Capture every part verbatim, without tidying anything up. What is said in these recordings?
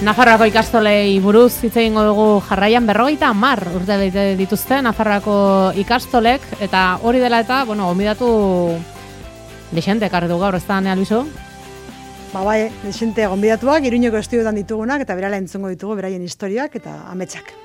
Nafarroako ikastolei buruz hitz egingo dugu jarraian berrogeita hamar urte bete dituzte Nafarroako ikastolek, eta hori dela eta, bueno, gonbidatu dexente ekarri du gaur, ez da, Nea Luiso? Ba bai, dexente gonbidatuak, Iruñeko estudioetan ditugunak, eta berala entzungo ditugu beraien historiak eta ametsak.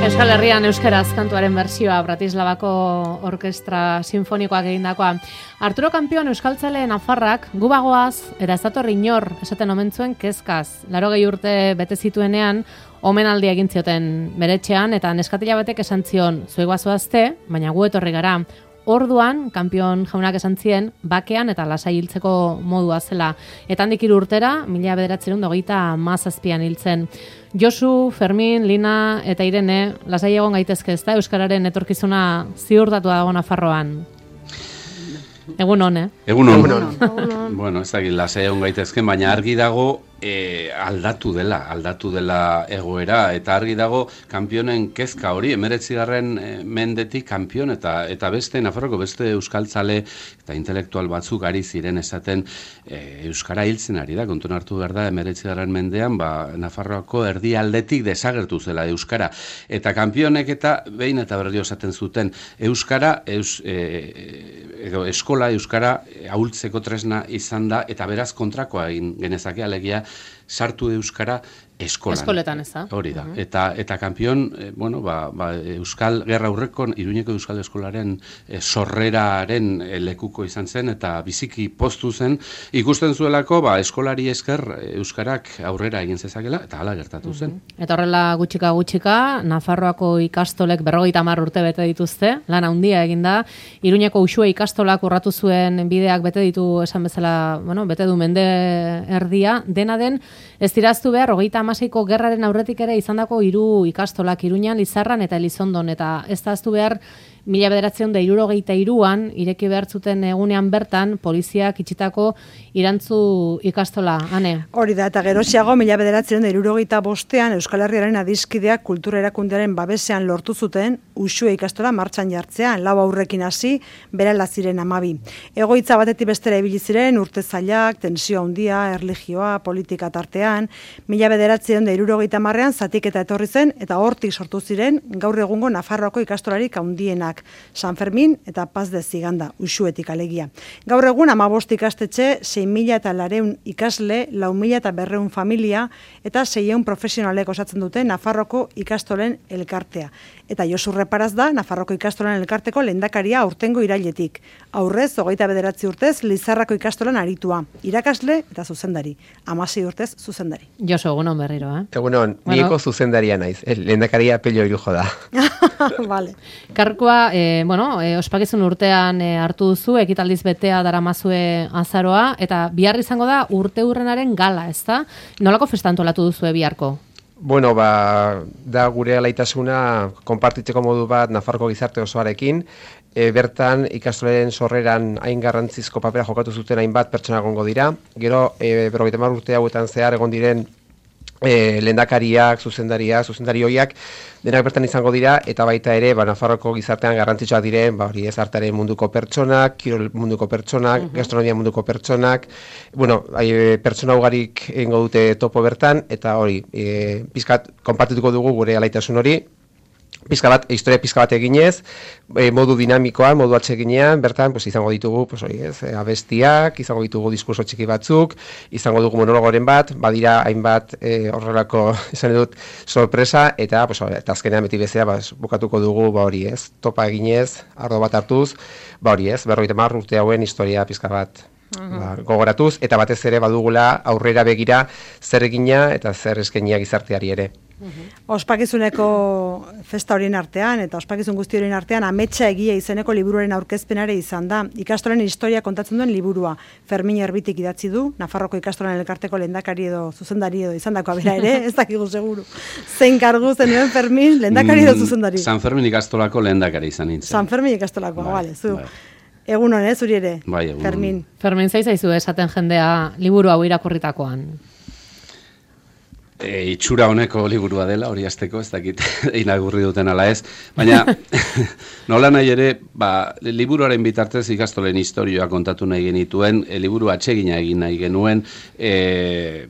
Euskal Herrian euskaraz kantuaren bertsioa Bratislavako Orkestra Sinfonikoak egindakoa. Arturo Kampion euskaltzale Nafarrak gubagoaz eta ez dator inor esaten omen zuen kezkaz. Laurogei urte bete zituenean omenaldia egin zioten beretxean eta neskatila batek esan zion zuegoa zoazte, baina gu etorri gara. Orduan, Kampion jaunak esan zien, bakean eta lasai hiltzeko modua zela. Eta handik hiru urtera, mila bederatzerun hogeita hamazazpian hiltzen. Josu, Fermin, Lina eta Irene, lasai egon gaitezke ezta euskararen etorkizuna ziurtatua dago Nafarroan. Egun hon, eh? Egun hon. Bueno, ez dakit lasai egon gaitezke, baina argi dago e, aldatu dela, aldatu dela egoera, eta argi dago Kampionen kezka hori, emeretzigarren e, mendetik Kampion eta eta beste Nafarroko beste euskaltzale eta intelektual batzuk ari ziren esaten e, euskara hiltzen ari da, kontuan hartu behar da emeretzigarren mendean, ba, Nafarroako erdialdetik desagertu zela euskara, eta Kampionek eta behin eta berdio esaten zuten euskara, eus, e, edo eskola euskara ahultzeko tresna izan da, eta beraz kontrakoa egin genezake, alegia sartu euskara eskolan. Eskoletan, ez da? Hori da. Eta, eta Kampion, eh, bueno, ba, ba, Euskal Gerra Aurreko, Iruñeko Euskal Eskolaren eh, sorreraren eh, lekuko izan zen, eta biziki poztu zen, ikusten zuelako, ba, eskolari esker euskarak aurrera egin zezakela, eta hala gertatu zen. Uh-huh. Eta horrela gutxika gutxika, Nafarroako ikastolek berrogeita hamar urte bete dituzte, lan handia eginda, Iruñeko Uxue ikastolak urratu zuen bideak bete ditu, esan bezala, bueno, bete du mende erdia, dena den, ez diraztu behar, hogeita hamaseiko gerraren aurretik ere izandako hiru ikastolak Iruñan, Lizarran eta Elizondon, eta ez da aztu behar, mila bederatziehun eta hirurogeita hiruan ireki behar zuten egunean bertan poliziak itxitako Irantzu ikastola, Ane? Hori da, eta gerosiago mila bederatziehun eta hirurogeita bostean Euskal Herriaren adiskideak kultura erakundearen babesean lortu zuten Uxue ikastola martxan jartzean, lau aurrekin hasi, berala ziren hamabi. Egoitza batetik bestera ibili ziren urte zailak, tensio handia, erlijioa, politika tartean, mila bederatziehun eta hirurogeita hamarrean zatiketa etorri zen eta hortik sortu ziren gaur egungo Nafarroako ikastolarik handienak. San Fermin eta Paz de Ziganda, Uxuetik alegia. Gaur egun hamabost ikastetxe, sei mila eta lareun ikasle, lau mila eta berreun familia eta seiehun profesionalek osatzen dute Nafarroko ikastolen elkartea. Eta Josu Reparaz da Nafarroko ikastolen elkarteko lehendakaria aurtengo irailetik. Aurrez, hogeita bederatzi urtez, Lizarrako ikastolan aritua. Irakasle eta zuzendari. Hamasei urtez zuzendari. Josu, egunon berriro, eh? Egunon, bueno. Nieko zuzendaria naiz. El lehendakaria Pello Irujo da. Vale. Karkoa, e, bueno, e, ospakizun urtean e, hartu duzu, ekitaldiz betea daramazue azaroa, eta bihar izango da urte hurrenaren gala, ez da? Nolako festa antolatu duzu biharko? Bueno, ba, da gure alaitasuna konpartitzeko modu bat Nafarroko gizarte osoarekin, e, bertan ikastolaren sorreran hain garrantzizko papera jokatu zuten hainbat pertsona egongo dira, gero e, berrogeita hamar urte hauetan zehar egon diren E, lehendakariak, zuzendariak, zuzendari hoiak, denak bertan izango dira, eta baita ere, ba, Nafarroko gizartean garrantzitsuak diren, ba, hori ez artearen munduko pertsonak, kirol munduko pertsonak, uh-huh. gastronomia munduko pertsonak, bueno, hai, pertsona ugarik egingo dute topo bertan, eta hori, e, pizkat, konpartituko dugu gure alaitasun hori, pizka bat, historia pizka bat eginez, e, modu dinamikoan, modu atseginean, bertan pues, izango ditugu pues, oi, ez, abestiak, izango ditugu diskurso txiki batzuk, izango dugu monologoren bat, badira hainbat e, horrelako izan dut sorpresa, eta, pues, eta azkenean beti bezea ba, bukatuko dugu ba, hori ez, topa eginez, ardo bat hartuz, ba, hori ez, berrogeita hamar urte hauen historia pizka bat uh-huh. ba, gogoratuz, eta batez ere badugula aurrera begira zer egina eta zer eskenia gizarteari ere. Ospakizuneko festa horien artean eta ospakizun guzti horien artean Ametsa egia izeneko liburuaren aurkezpenare izan da. Ikastolen historia kontatzen duen liburua. Fermin Erbitik idatzi du, Nafarroko ikastolen elkarteko lehendakari edo zuzendari edo izandakoa bera ere, ez dakigu seguru. Zein kargu zenuen Fermin, lehendakari edo zuzendari? San Fermin ikastolako lehendakari izan nintzen. San Fermin ikastolakoa, bale, zu. Bai. Egun hon, zuri ere, bai, egun Fermin. Fermin, zaizaizu esaten jendea liburu hau irakurritakoan? E, itxura honeko liburua dela, hori azteko, ez dakit inagurri duten ala ez, baina nola nahi ere, ba, liburuaren bitartez ikastolen historioa kontatu nahi genituen, e, liburu atsegina egin nahi genuen, e,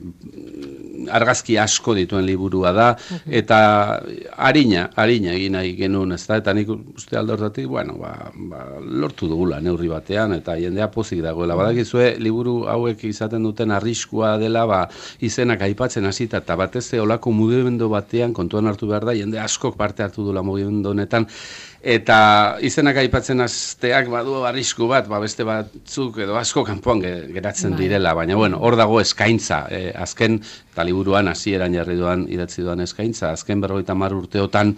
argazki asko dituen liburua da, eta harina, harina egin nahi genuen, ez da, eta nik uste aldortatik, bueno, ba, ba, lortu dugula neurri batean, eta jendea pozik dagoela. Badakizue, liburu hauek izaten duten arriskua dela, ba, izenak aipatzen hasita, eta batez olako mugimendu batean kontuan hartu behar da, jende askok parte hartu dula mugimendu honetan, eta izenak aipatzen hasteak badu arrisku bat, ba beste batzuk edo asko kanpoan geratzen direla, baina bueno, hor dago eskaintza, eh, azken, eta liburuan hasieran jarri duan, idatzi duan eskaintza, azken berrogeita hamar urteotan,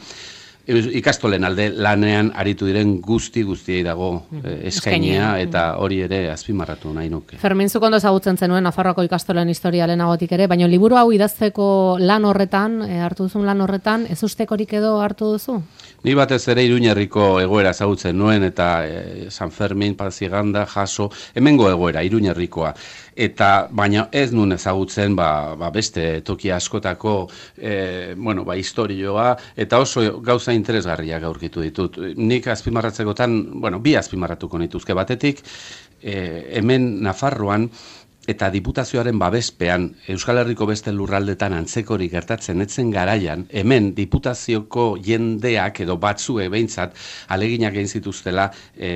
ikastolen alde lanean aritu diren guzti guztiei dago eh, eskainia eta hori ere azpimarratu nahi nuke. Fermin, zuk ondo ezagutzen zenuen Nafarroako ikastolen historia lehenagotik ere, baina liburu hau idazteko lan horretan, e, hartu duzun lan horretan, ez ustekorik edo hartu duzu? Ni batez ere Iruñerriko egoera ezagutzen nuen eta e, San Fermin, Paziganda, Jaso, hemengo egoera, Iruñerrikoa. Eta baina ez nun ezagutzen ba, ba beste toki askotako e, bueno, ba, historioa eta oso gauza interesgarriak aurkitu ditut. Nik azpimarratzekotan, bueno, bi azpimarratuko nituzke batetik, e, hemen Nafarroan eta diputazioaren babespean Euskal Herriko beste lurraldetan antzekorik gertatzen etzen garaian, hemen diputazioko jendeak edo batzuek behintzat aleginak egin zituztela e,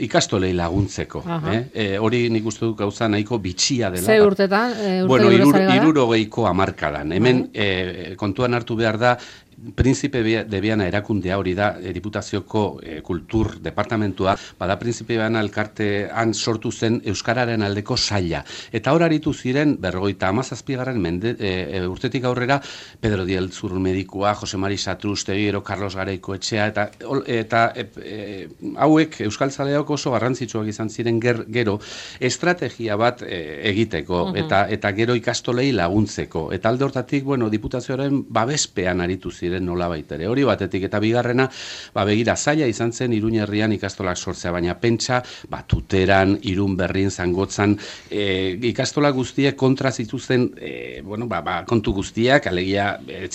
ikastolei laguntzeko. Eh? E, hori nik uste dut gauza nahiko bitxia dela. Ze urtetan? E, urte bueno, irur, irurogeiko hamarkadan. Hemen e, kontuan hartu behar da, Prinzipe de Viana erakundea hori da, e, diputazioko e, kultur departamentua, bada Prinzipe Viana elkartean sortu zen Euskararen aldeko saila. Eta hor aritu ziren, berrogeita hamazazpigarren mende, e, urtetik aurrera, Pedro Diel Zurmedikua, Jose Mari Satrustegi, ero Carlos Garaiko etxea, eta, eta e, e, hauek Euskaltzaleok oso garrantzitsuak izan ziren ger, gero, estrategia bat e, egiteko, uh-huh. eta, eta gero ikastolei laguntzeko. Eta alde hortatik, bueno, diputazioaren babespean aritu ziren nola baitere. Hori batetik eta bigarrena, ba begira zaila izan zen Iruñerrian ikastolak sortzea, baina pentsa, ba Tuteran, Irunberrin, Zangotzan, e, ikastola guztiek kontra zituzten, e, bueno, ba, ba, kontu guztiak, alegia ez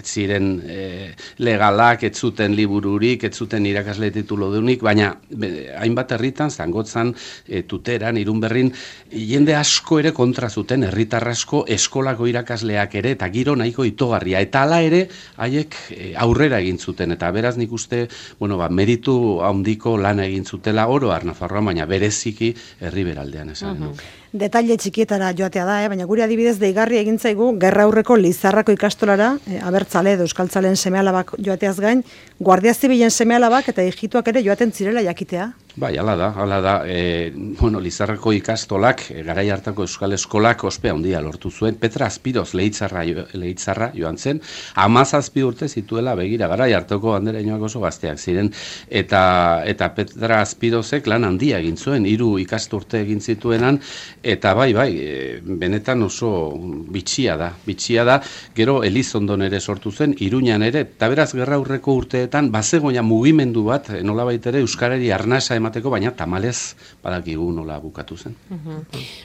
ziren e, legalak, ez zuten libururik, ez zuten irakasle tituludunik, baina be, hainbat herritan, Zangotzan, e, Tuteran, Irunberrin, jende asko ere kontra zuten, herritar asko, eskolako irakasleak ere, eta giro nahiko itogarria, eta hala ere, haiek aurrera egin zuten, eta beraz nik uste, bueno, ba, meritu handiko lana egin zutela oro har Nafarroan, baina bereziki herri beraldean esan uh-huh. nuke. Detaile txikietara joatea da, eh? Baina guri adibidez deigarri egin zaigu gerra aurreko Lizarrako ikastolara, eh, abertzale edo euskaltzalen seme-alabak joateaz gain, Guardia Zibilen seme-alabak eta hijituak ere joaten zirela jakitea. Bai, hala da, hala da. E, bueno, Lizarrako ikastolak, e, garai hartako euskal eskolak ospe handia lortu zuen. Petra Azpiroz Leitzarra, Leitzarra joan zen, hamazazpi urte zituela begira, garai hartako andereñoak oso gazteak ziren, eta eta Petra Azpirozek lan handia egin zuen, hiru ikasturte egin zituenan, eta bai, bai, e, benetan oso bitxia da, bitxia da, gero Elizondon ere sortu zen, Iruñan ere, eta beraz gerra aurreko urteetan, bazegoia mugimendu bat, nolabait ere euskarari arnasa emateko, baina tamalez badakigu nola bukatu zen. Uh-huh.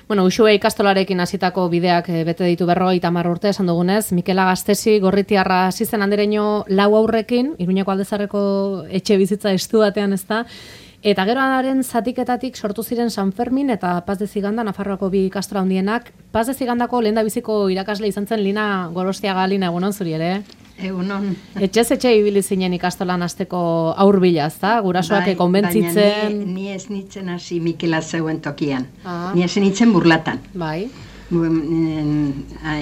Bueno, Uxue ikastolarekin hasitako bideak bete ditu berrogeita hamar urte, esan dugunez, Mikel Agastesi Gorritiarra hasi zen andereño lau aurrekin, Iruñeko Aldezarreko etxe bizitza estu batean, ezta, eta geroaren zatiketatik sortu ziren San Fermin eta Paz de Ziganda, Nafarroako bi ikastola handienak. Paz de Zigandako lehendabiziko irakasle izan zen Lina Gorostiaga. Lina, egunon zuri ere? Egunon. Etxez etxe ibili zinen ikastolan hasteko aurbilaz, ezta? Gurasoak bai, konbentzitzen. Baina ni, ni ez nitzen hasi Mikela zeuen tokian. Ah. Ni ez nitzen burlatan. Bai.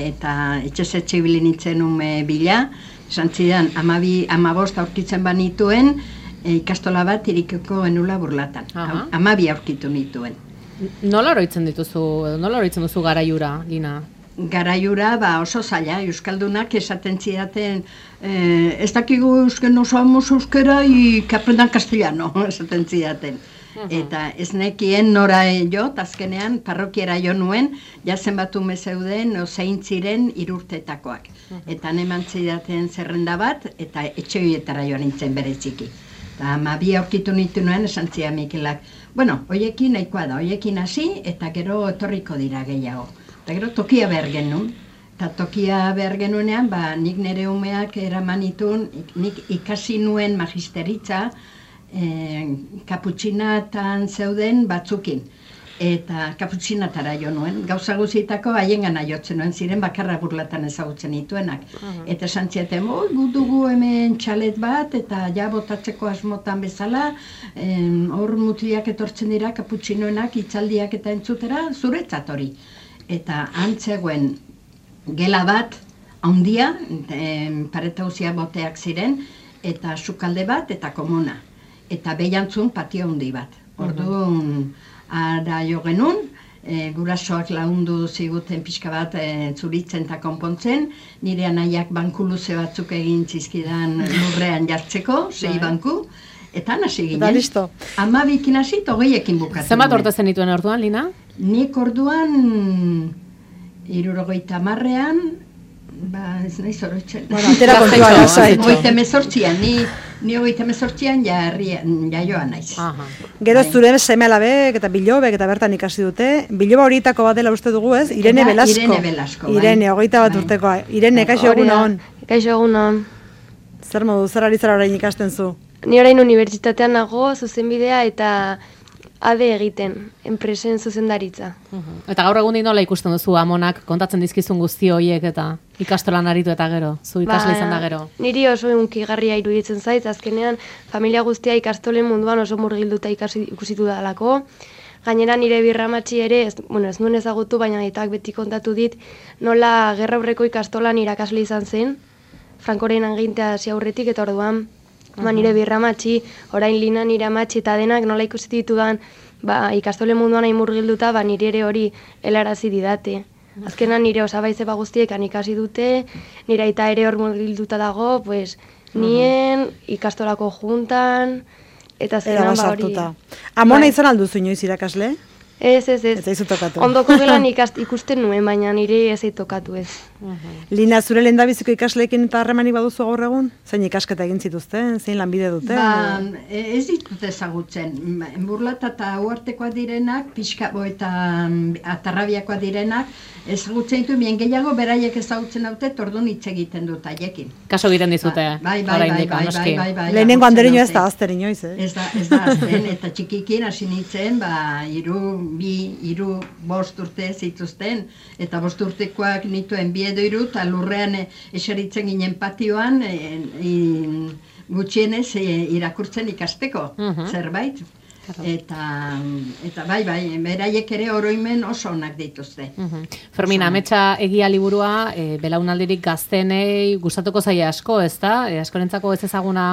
Eta etxez etxe ibili nitzen ume bila, esan zidan, amabi, amabost aurkitzen banituen, e, ikastola bat irikeko enula burlatan. Aha. Amabi aurkitu nituen. Nola oroitzen dituzu, nola oroitzen duzu garaiura, Lina? garaiura ba, oso zaila, euskaldunak esaten zidaten, eh, ez dakigu euskera, no sabemos euskera y que aprendan castellano, esaten zidaten. Eta ez nekien nora jo, azkenean parrokiera jo nuen, jazen batu mezeuden ozein ziren irurtetakoak. Eta neman zidaten zerrenda bat, eta etxeoietara joan nintzen bere txiki. Eta amabi aurkitu nitu nuen, esan zia Mikelak, bueno, hoiekin nahikoa da, hoiekin hasi, eta gero etorriko dira gehiago. Eta gero tokia behar genuen. Eta tokia behar genuenean, ba, nik nire umeak eraman itun, nik ikasi nuen magisteritza, Eh, kaputxinatan zeuden batzukin eta kaputxinatara jo nuen gauza guzitako haien gana jotzen nuen ziren bakarra burlatan ezagutzen dituenak uh-huh. Eta santziaten, oi, gudugu hemen txalet bat eta ja botatzeko asmotan bezala hor eh, mutiliak etortzen dira kaputxinoenak itzaldiak eta entzutera zuretzat hori eta antzegoen gela bat handia eh, paretausia boteak ziren eta sukalde bat eta komuna eta behiantzun patio handi bat. Orduan, ara jo genuen, e, gurasoak laundu ziguten pixka bat e, zuritzen eta konpontzen, nire anaiak banku luze batzuk egin zizkidan lurrean jartzeko, sei banku, eta nasi ginen. Da listo. Amabikin hasi, togeiekin bukatzen. Zenbat orte zen dituen orduan, Lina? Nik orduan, hirurogeita hamarrean, ba, ez nahi zoroitzen. Bueno, atera kontua lasai. Ogeita mezortzian, ni Ni hogeita mezortzian jaioa naiz. Gero zure seme alabek eta bilobek eta bertan ikasi dute. Biloba horietako bat dela uste dugu ez? Irene Velasco. Irene Velasco. Irene, hogeita bat urtekoa. Irene, kaixo egun hon. Kaixo egun hon. Zer modu, zer ari zara orain ikasten zu? Ni orain unibertsitatean nago, zuzenbidea eta ade egiten, enpresen zuzendaritza. Uh-huh. Eta gaur egun nola ikusten duzu amonak kontatzen dizkizun guzti horiek eta ikastolan aritu eta gero, zu ikasle izan da gero? Niri oso unkigarria iruditzen zait, azkenean familia guztia ikastolen munduan oso murgilduta ikasi, ikusitu dalako. Gainera nire birramatxi ere, ez, bueno, ez nuen ezagutu, baina aitak beti kontatu dit, nola gerra aurreko ikastolan irakasle izan zen, Frankoren agintea hasi aurretik eta orduan, ba, nire birramatxi, orain Lina nire amatxi eta denak nola ikusi ditudan ba, ikastole munduan hain murgilduta, ba, nire ere hori helarazi didate. Azkenan nire osabaizeba guztiekan ikasi dute, nire aita ere hor murgilduta dago, pues, nien ikastolako juntan, eta azkenan ba hori. Amona izan alduzu inoiz irakasle? Ez, ez, ez. Eta izu tokatu. Ondoko gelan ikast, ikusten nuen, baina nire ez tokatu ez. Uh-huh. Lina, zure lehendabiziko ikasleekin eta harremanik baduzu gaur egun? Zein ikasketa egin zituzten? Zein lanbide duten? Ba, ez ditut ezagutzen. Burlata eta uartekoa direnak, pixkabo eta atarrabiakoa direnak, ezagutzen ditu, bien gehiago beraiek ezagutzen haute, tordun hitz egiten dut haiekin. Kaso egiten dizute, bai, bai, bai, bai, bai, bai, bai, lehenengo anderino ez da azten inoiz, eh? Ez da, ez da azten, eta txikikin hasi nintzen, ba, iru, bi, iru, bost urte zituzten, eta bost urtekoak nituen bi edo iru, eta lurrean eseritzen ginen patioan, e, e, gutxienez e, irakurtzen ikasteko, uh-huh. zerbait. Eta, eta bai, bai, beraiek ere oroimen oso onak dituzte. Uh-huh. Fermin, ametsa egia liburua, e, belaunaldirik gaztenei gustatuko zaia asko, ez da? E, askorentzako ez ezaguna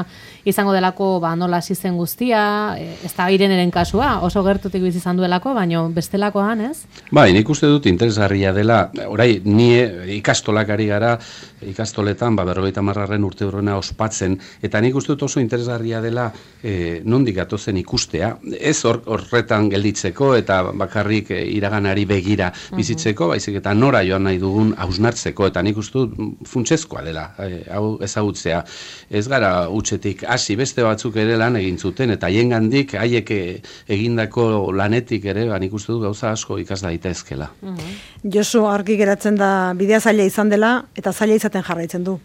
izango delako ba, nola hasi zen guztia, e, ez da Ireneren kasua, oso gertutik bizi izan duelako, baina bestelakoan, ez? Bai, nik uste dut interesgarria dela, orai, ni ikastolak ari gara, ikastoletan, ba, berrogeita hamargarren urte horrena ospatzen, eta nik uste dut oso interesgarria dela e, nondik gatozen ikustea, ez horretan gelditzeko eta bakarrik e, iraganari begira bizitzeko, baizik eta nora joan nahi dugun hausnartzeko, eta nik uste dut funtsezkoa dela, e, hau ezagutzea. Ez gara utxetik hasi beste batzuk ere lan egin zuten, eta haiengandik haiek egindako lanetik ere, ba, nik uste dut gauza asko ikas daitezkela. Uh-huh. Josu, argi geratzen da bidea zaila izan dela, eta zaila izaten jarraitzen du.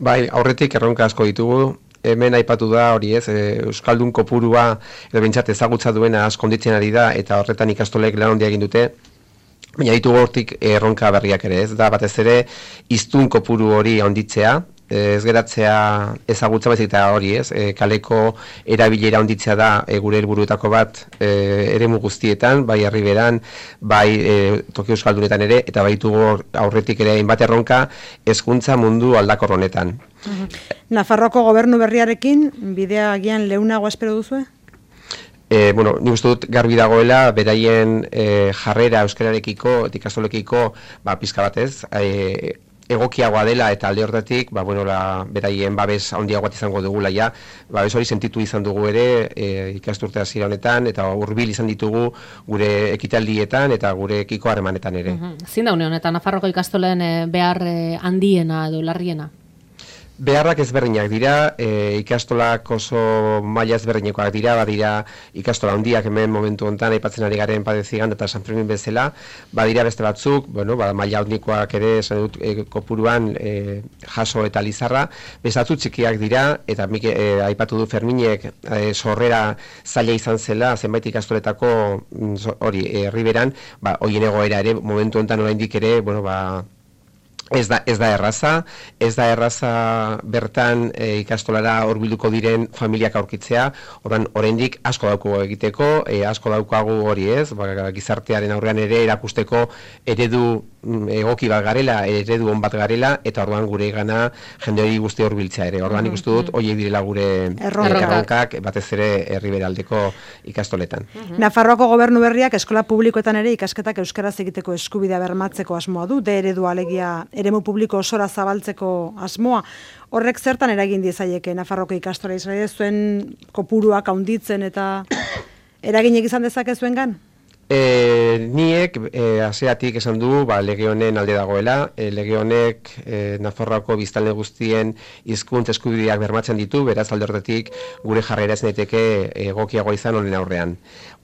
Bai, aurretik erronka asko ditugu, hemen aipatu da hori ez, e, Euskaldun kopurua edo bintzat ezagutza duena askonditzen ari da, eta horretan ikastolek lan handia egin dute, baina ditugu hortik erronka berriak ere ez, da batez ere hiztun kopuru hori handitzea, ez geratzea ezagutza baizik eta hori ez, e, kaleko erabilera handitzea da e, gure helburuetako bat e, eremu guztietan, bai Herriberan, bai e, toki euskaldunetan ere, eta baitugu aurretik ere hainbat erronka hezkuntza mundu aldakor honetan. Uh-huh. Nafarroako gobernu berriarekin bidea agian leunago espero duzue? E, bueno, nik uste dut garbi dagoela, beraien e, jarrera euskararekiko, ikastolekiko, ba, pizka batez, e, egokiagoa dela eta alde hortatik, ba, bueno, la, beraien babes handiagoa izango dugula ja, babes hori sentitu izan dugu ere e, ikasturte hasiera honetan, eta hurbil izan ditugu gure ekitaldietan eta gurekiko harremanetan ere. Mm-hmm. Zin da une honetan, Nafarroko ikastolen e, behar e, handiena edo larriena? Beharrak ezberdinak dira, e, ikastolak oso maila ezberdinekoak dira, badira ikastola handiak hemen momentu honetan aipatzen ari garen Padezigan eta San Fermin bezala, badira beste batzuk, bueno, ba, maila handikoak ere esan dut e, kopuruan e, Jaso eta Lizarra, bezatzu txikiak dira, eta mik, e, aipatu du Ferminek e, sorrera zaila izan zela, zenbait ikastoletako hori, e, Riberan, ba, hoien egoera ere, momentu honetan oraindik ere, bueno, ba, Ez da, ez da erraza, ez da erraza bertan e, ikastolara hurbilduko diren familiak aurkitzea, ordan oraindik asko daukagu egiteko, e, asko daukagu hori ez, ba, gizartearen aurrean ere erakusteko eredu egoki bat garela, eredu on bat garela, eta orduan gure gana jende hori guzti hurbiltzea ere. Orduan ikustu dut, horiek direla gure erronkak, batez ere herriberaldeko ikastoletan. Uh-huh. Nafarroako gobernu berriak eskola publikoetan ere ikasketak euskaraz egiteko eskubidea bermatzeko asmoa du, de eredu alegia eremu publiko osora zabaltzeko asmoa. Horrek zertan eragin diezaieke Nafarroko ikastola Israel zuen kopuruak handitzen eta eraginek izan dezake zuengan? E, niek e, hasieratik esan du, ba, lege honen alde dagoela, e, lege honek e, Nafarroako biztanle guztien hizkuntza eskubideak bermatzen ditu, beraz alde horretatik gure jarrera ez daiteke egokiagoa izan honen aurrean.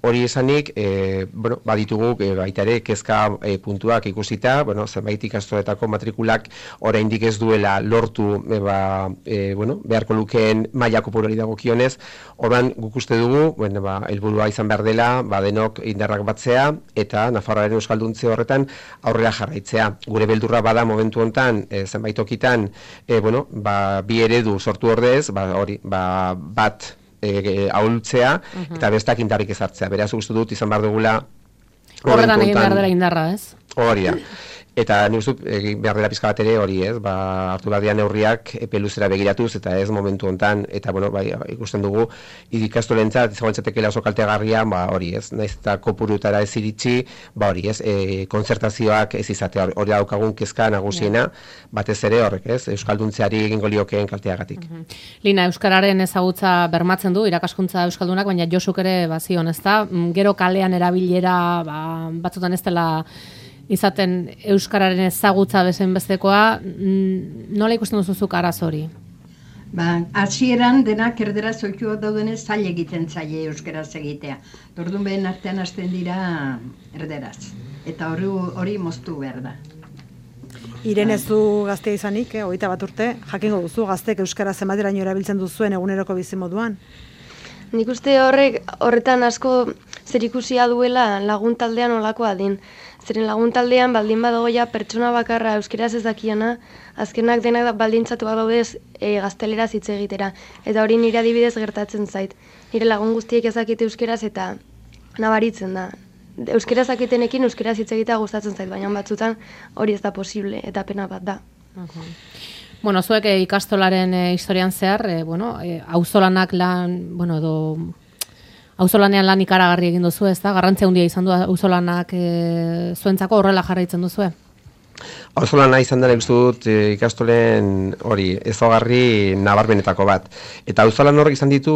Hori esanik, e, bueno, baditugu e, baita ere kezka e, puntuak ikusita, bueno, zenbait ikastoletako matrikulak oraindik ez duela lortu e, ba, e, bueno, beharko lukeen maila kopurari dagokionez, orduan guk uste dugu, bueno, ba, helburua izan behar dela, ba, denok indarrak batzea eta Nafarroaren euskalduntze horretan aurrera jarraitzea. Gure beldurra bada momentu hontan, e, zenbait tokitan, e, bueno, ba, bi eredu sortu ordez, ba, hori, ba, bat E, ahultzea, uh-huh. eta bestak indarrik ezartzea. Beraz, uste dut izan behar dugula horretan egin behar dela indarra, ez? Hori da. Eta ni uste egin behar dela pizka bat ere hori, ez? Ba, hartu behar dian neurriak epe luzera begiratuz, eta ez momentu hontan, eta bueno, bai, ikusten dugu ikastolentzat izango litzatekeela oso kaltegarria, ba, hori, ez? Naiz eta kopurutara ez iritsi, ba, hori, ez? E, kontzertazioak ez izatea, hori daukagun kezka nagusiena, batez ere horrek, ez? Euskalduntzeari egingo liokeen kalteagatik. Uh-huh. Lina, euskararen ezagutza bermatzen du irakaskuntza euskaldunak, baina Josuk ere bazion, ezta? Gero kalean erabilera, ba, batzutan ez dela izaten euskararen ezagutza bezen bestekoa, nola ikusten duzuzuk araz hori? Ba, hasieran denak erderaz oitua daudenez zail egiten zaile euskaraz egitea. Orduan behen artean hasten dira erderaz. Eta hori, hori moztu behar da. Irene, zu gaztea izanik, eh, hogeita bat urte, jakingo duzu gaztek euskara zenbateraino erabiltzen duzuen eguneroko bizimoduan? Nik uste horrek horretan asko zerikusia duela laguntaldean olakoa din. Zeren laguntaldean baldin badago ja pertsona bakarra euskeraz ez dakiana, azkenak denak baldintzatu daudez e, gazteleraz hitz egitera. Eta hori nire adibidez gertatzen zait. Nire lagun guztiek ezakite euskeraz eta nabaritzen da. Euskeraz akitenekin euskeraz hitz egitea gustatzen zait, baina batzutan hori ez da posible eta pena bat da. Uh-huh. Bueno, zuek e, ikastolaren e, historian zehar, e, bueno, e, auzolanak lan, bueno, edo auzolanean lan ikaragarri egin duzu, ez da? Garrantzia handia izan du auzolanak e, zuentzako horrela jarraitzen duzue? Auzolana izan dela ikustu dut e, ikastolen hori ezaugarri nabarmenetako bat. Eta auzolan horrek izan ditu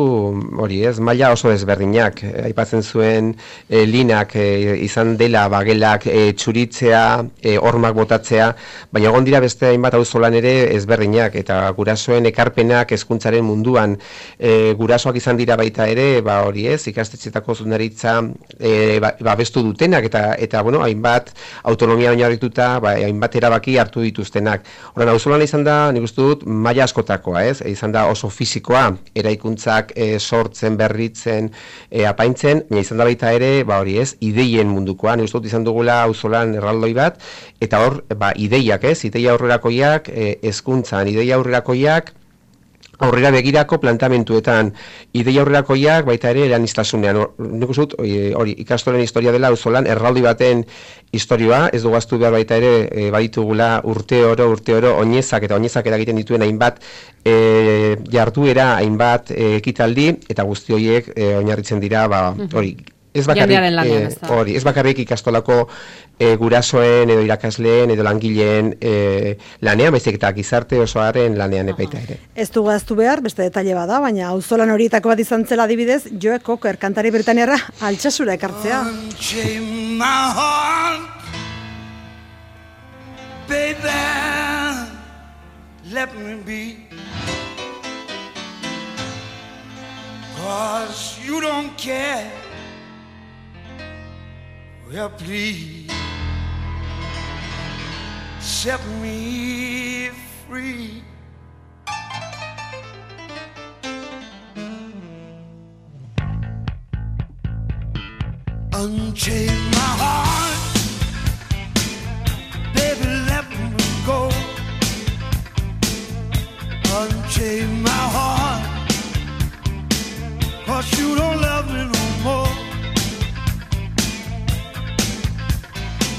hori, ez, maila oso ezberdinak. E, aipatzen zuen e, linak e, izan dela bagelak e, txuritzea, e, hormak botatzea, baina egon dira beste hainbat auzolan ere ezberdinak eta gurasoen ekarpenak hezkuntzaren munduan e, gurasoak izan dira baita ere, ba hori, ez, ikastetxetako zuzendaritza e, ba, babestu dutenak eta eta bueno, hainbat autonomia oinarrituta, ba hainbat erabaki hartu dituztenak. Horren, auzolana izan da, nik uste dut, maila askotakoa, ez? Izan da oso fisikoa, eraikuntzak e, sortzen, berritzen, e, apaintzen, baina izan da baita ere, ba hori ez, ideien mundukoa. Nik uste dut izan dugula auzolan erraldoi bat, eta hor, ba, ideiak, ez? Ideia aurrerakoiak, e, hezkuntzan, ideia aurrerakoiak, aurrera begirako plantamentuetan, ideia aurrerakoiak baita ere eranistasunean. Nik uste dut, hori, ikastolen historia dela auzolan erraldi baten historioa, ez dugu ahaztu behar baita ere e, baditugula urte oro, urte oro, oinezak eta oinezak eragiten dituen hainbat e, jarduera, hainbat e, ekitaldi, eta guzti horiek e, oinarritzen dira, ba, hori, Ez bakarrik, lanean, eh, hori, ez bakarrik ikastolako eh, gurasoen edo irakasleen edo langileen eh, lanean, baizik eta gizarte osoaren lanean epaita ere. Ez du gaztu behar, beste detaile bada, baina auzolan horietako bat izan zela adibidez, Joe Cocker kantari britaniarra Altsasura ekartzea. Baby, let me be, 'cause you don't care. Well, please set me free. Unchain my heart, baby, let me go. Unchain my heart, 'cause you don't love me no more.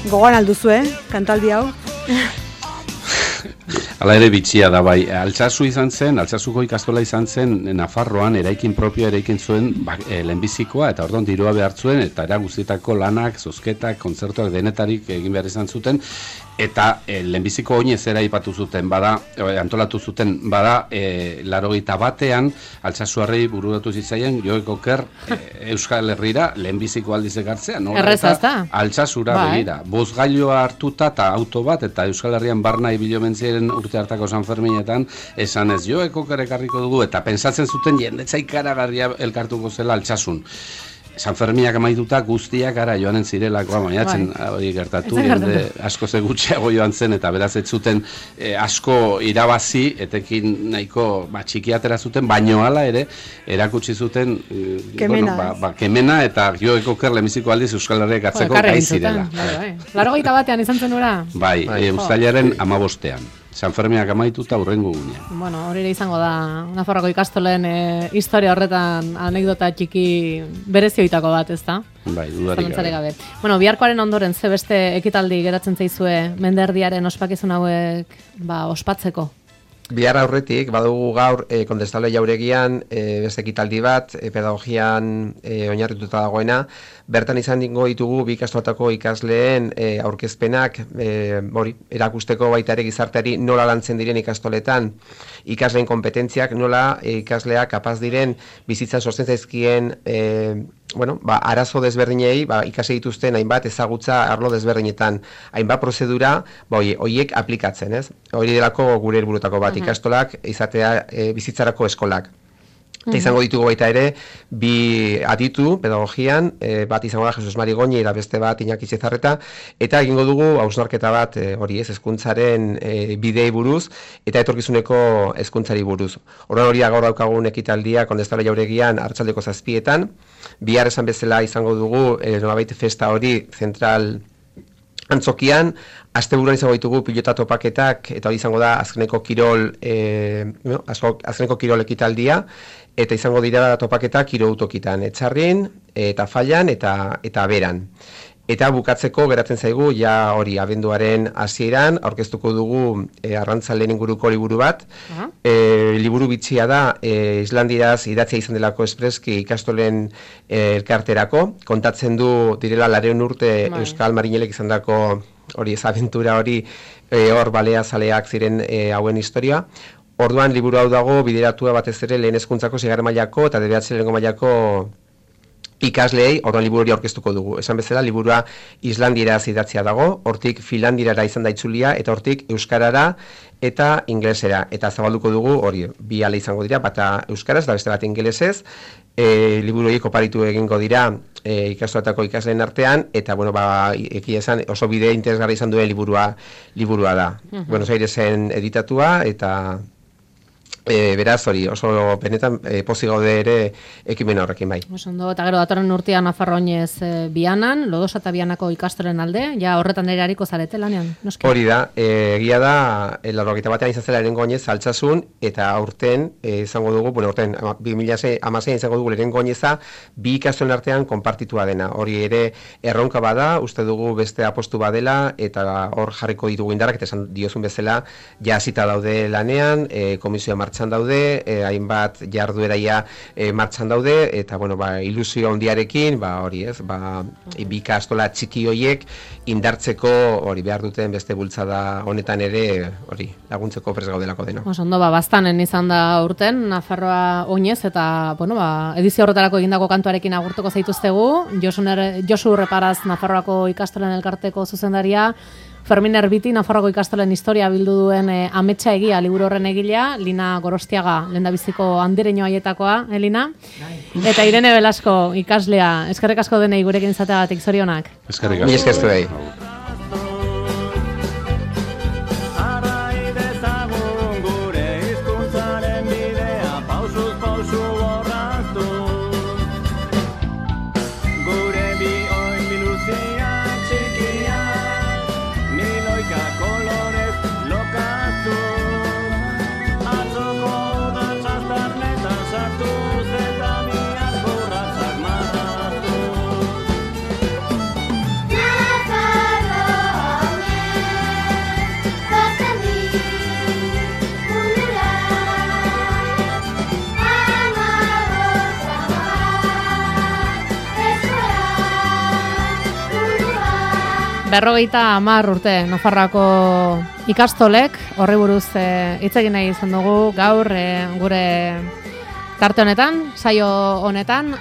Gogoan alduzu, eh? Kantaldi hau. Hala ere bitxia da bai, Altsasu izan zen, Altsasuko ikastola izan zen Nafarroan eraikin propioa eraikin zuen ba, e, lehenbizikoa eta ordon dirua behar zuen eta era guztietako lanak, zozketak, kontzertuak denetarik egin behar izan zuten eta e, lehenbiziko oinez era ipatu zuten, bada, e, antolatu zuten, bada e, larogeita batean Altsasuarrei bururatu zitzaien Joe Cocker e, Euskal Herrira lehenbiziko aldiz ekartzea, no? Errezazta. Altsasura bai. begira, bozgailua hartuta eta auto bat eta Euskal Herrian barna ibilomentziaren urte hartako San Ferminetan esan ez Joe Cocker ekarriko dugu eta pensatzen zuten jendetza ikaragarria elkartuko zela Altsasun. San Ferminak amaituta guztiak ara joanen zirelako, bainatzen hori gertatu, jende asko ze gutxiago joan zen eta beraz ez zuten eh, asko irabazi, etekin nahiko ba, txikiatera zuten, baino hala ere erakutsi zuten eh, kemena, bueno, ba, ba, kemena eta Joe Cocker lehenbiziko aldiz Euskal Herriak hartzeko gai zirela. Larogeita batean izan zen ura? Bai, bai. E, uztailaren hamabostean. San Ferminak amaituta hurrengo gunean. Bueno, hori ere izango da Nafarroako ikastolen e, historia horretan anekdota txiki berezioitako bat, ezta? Bai, dudarik gabe. gabe. Bueno, biharkoaren ondoren ze beste ekitaldi geratzen zaizue menderdiaren ospakizun hauek ba, ospatzeko? Bihar aurretik, badugu gaur e, Kondestable Jauregian e, beste ekitaldi bat, e, pedagogian e, oinarrituta dagoena, bertan izan dingo ditugu bi ikastolatako ikasleen e, aurkezpenak, e, hori, erakusteko baita ere gizarteari nola lantzen diren ikastoletan, ikasleen kompetentziak, nola e, ikasleak kapaz diren bizitza sortzen zaizkien e, bueno, ba, arazo desberdinei, ba, ikasi dituzten hainbat ezagutza arlo desberdinetan, hainbat prozedura, ba, hoiek aplikatzen, ez? Hori delako gure helburutako bat, ikastolak izatea e, bizitzarako eskolak. Eta izango ditugu baita ere, bi aditu pedagogian, e, bat izango da Jesus Mari Goñi eta beste bat Iñaki Zezarreta, eta egingo dugu hausnarketa bat, e, hori ez, hezkuntzaren e, bidei buruz, eta etorkizuneko hezkuntzari buruz. Horren hori gaur daukagun ekitaldia Kondestable Jauregian arratsaldeko zazpietan, bihar esan bezala izango dugu, e, nolabait festa hori zentral antzokian, asteburuan izango ditugu pilota topaketak, eta hori izango da azkeneko kirol, e, no, azkeneko kirol ekitaldia, eta izango dira topaketak hirutokitan, Etxarrin, eta Fallan, eta eta Beran. Eta bukatzeko geratzen zaigu, ja hori abenduaren hasieran aurkeztuko dugu e, arrantzaleen inguruko liburu bat. Uh-huh. e, liburu bitxia da, e, islandiraz idatzia izan delako espreski ikastolen e, elkarterako. Kontatzen du direla lareun urte Bye. Euskal Marinelek izan dako hori ez abentura hori e, hor balea zaleak ziren e, hauen historia. Orduan liburu hau dago bideratua batez ere lehen hezkuntzako seigarren mailako eta bederatzi lehenengo mailako ikasleei, orduan liburu hori aurkeztuko dugu. Esan bezala, liburua islandieraz idatzia dago, hortik finlandirara izan da itzulia, eta hortik euskarara eta ingelesera. Eta zabalduko dugu, hori, bi ale izango dira, bata euskaraz, da beste bat ingelesez, e, liburu horiek oparitu egingo dira e, ikastolatako ikasleen artean, eta, bueno, ba, ekia esan, oso bide interesgarri izan duen liburua, liburua da. Uh-huh. Buenos Airesen editatua, eta E, beraz, hori, oso benetan e, pozik gaude ere ekimen horrekin bai. Ondo, eta gero datorren urtean Nafarroa oinez e, Bianan, Lodosa eta Bianako ikastolen alde, ja horretan ere hariko zarete lanean, noski? Hori da, e, egia da, e, larrogeita batean izan zela lehenengo oinez altsasun, eta aurten e, izango dugu, bueno, aurten bi mila hamaseian izango dugu lehenengo oineza, bi ikastolen artean konpartitua dena. Hori ere erronka bada, uste dugu beste apostu badela, eta hor jarriko ditugu indarrak, eta esan diozun bezala, ja hasita daude lanean, e, komisioa martxan daude, eh, hainbat jardueraia eh, martxan daude, eta bueno, ba, ilusio handiarekin, ba, hori ez, ba, bi ikastola txiki hoiek indartzeko hori behar duten beste bultzada honetan ere hori laguntzeko prest gaudelako dena. Ondo, ba, bastanen izan da urten, Nafarroa oinez, eta bueno, ba, edizio horretarako egindako kantuarekin agurtuko zaituztegu, Josu Reparaz Nafarroako ikastolen elkarteko zuzendaria, Fermin Erbiti, Nafarroako ikastolen historia bildu duen e, ametsa egia liburu horren egilea, Lina Gorostiaga, lehendabiziko handireño haietakoa, Elina, eta Irene Belasko ikaslea, eskerrik asko denei gurekin izateagatik, zorionak. Eskerrik asko. Eskerrik asko. Berrogeita hamar urte Nafarroako ikastolek horri buruz e, hitz egin nahi izan dugu gaur e, gure tarte honetan, saio honetan,